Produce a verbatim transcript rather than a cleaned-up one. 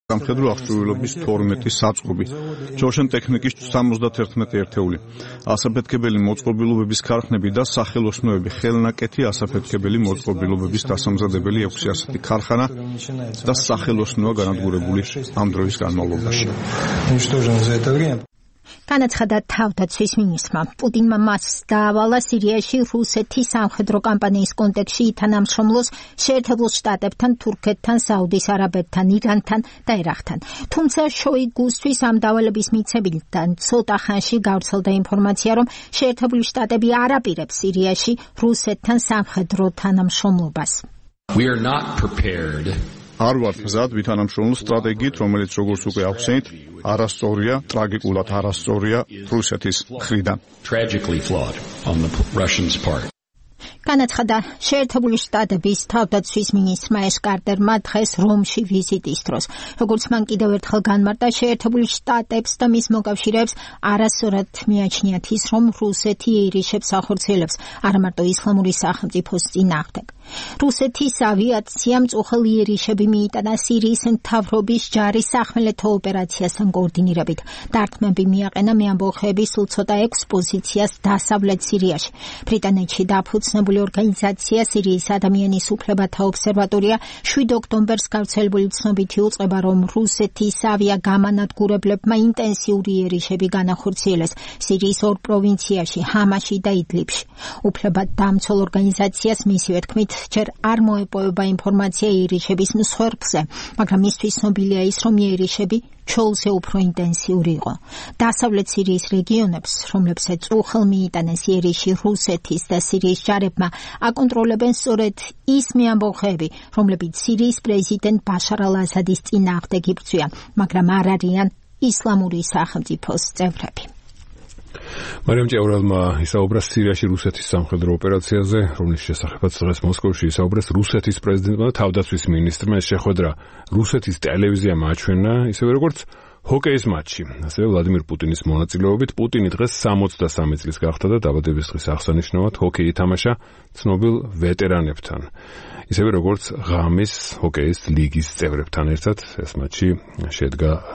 სამხედრო აღჭურვილობის თორმეტი საწყობი, ჯოშენ ტექნიკის სამოცდაერთმეტი ერთეული, ასაფეთქებელი მოწყობილობების ქარხნები და სახელოსნოები, ხელნაკეთი ასაფეთქებელი მოწყობილობების დასამზადებელი ექვსი ასეთი ქარხანა და სახელოსნოა განადგურებული ამ დროის განმავლობაში. განაცხადა თავდაცვის მინისტრმა. პუტინმა მას დაავალა სირიაში რუსეთის სამხედრო კამპანიის კონტექსტში ითანამშრომლოს შეერთებულ შტატებთან, თურქეთთან, საუდის არაბეთთან, ირანთან და ერაყთან. თუმცა შოიგუსთვის ამ დავალების მიცემიდან ცოტა ხანში გავრცელდა ინფორმაცია, რომ შეერთებული შტატები არ აპირებს სირიაში რუსეთთან სამხედრო თანამშრომლობას. We are not prepared. არ ვართ მზად ვითანამშრომლო სტრატეგიით, რომელიც როგორც უკვე ახსენეთ, არასწორია, ტრაგიკულად არასწორია რუსეთის მხრიდან. Tragically flawed on the Russians' part. განაცხადა შეერთებული შტატების თავდაცვის მინისტრმა ეშ კარტერმა დღეს რომში ვიზიტის დროს. როგორც მან კიდევ ერთხელ განმარტა, შეერთებული შტატებს და მის მოკავშირეებს არასწორად მიაჩნიათ ის, რომ რუსეთი ეირიშებს ახორციელებს არა მარტო ისლამური სახელმწიფოს წინააღმდეგ. რუსეთის ავიაციამ მწუხელი იერიშები მიიტანა სირიის მთავრობის ჯარის სახმელეთო ოპერაციასთან კოორდინირებით. დარტყმები მიაყენა მეამბოხეების სულ ცოტა ექვს პოზიციას დასავლეთ სირიაში. ბრიტანეთში დაფუძნებული ორგანიზაცია სირიის ადამიანის უფლებათა ობსერვატორია შვიდ ოქტომბერს გავრცელებული ცნობითი უწყება, რომ რუსეთის ავიაგამანადგურებლებმა ინტენსიური იერიშები განახორციელეს სირიის ორ პროვინციაში, ჰამაში და იდლიბში. უფლებადამცველ ორგანიზაციას მისივე თქმით, ჯერ არ მოეპოვება ინფორმაცია იერიშების მსხვერპლზე, მაგრამ მისთვის ცნობილია ის, რომ იერიშები ჩოლზე უფრო ინტენსიური იყო. დასავლეთ სირიის რეგიონებს, რომლებსაც უხელ მიიტანეს იერიში რუსეთის და სირიის ჯარებმა, აკონტროლებენ სწორედ ის მეამბოხეები, რომლებიც სირიის პრეზიდენტ ბაშარ ალ-ასადის წინააღმდეგ იბრძვიან, მაგრამ არ არიან ისლამური სახელმწიფოს წევრები. მარიამ ჭევრელმა ისაუბრა სირიაში რუსეთის სამხედრო ოპერაციაზე, რომლის შესახებაც დღეს მოსკოვში ისაუბრეს რუსეთის პრეზიდენტმა და თავდაცვის მინისტრმა. ეს შეხვედრა რუსეთის ტელევიზიამ აჩვენა, ისევე როგორც ჰოკეის მატჩი. ასევე ვლადიმირ პუტინის მონაწილეობით პუტინი დღეს სამოცდასამი წლის გახდა და დაბადების დღის აღსანიშნავად ჰოკეი ითამაშა ცნობილ ვეტერანებთან. ისევე როგორც ღამის ჰოკეის ლიგის წევრებთან ერთად ეს მატჩი შედგა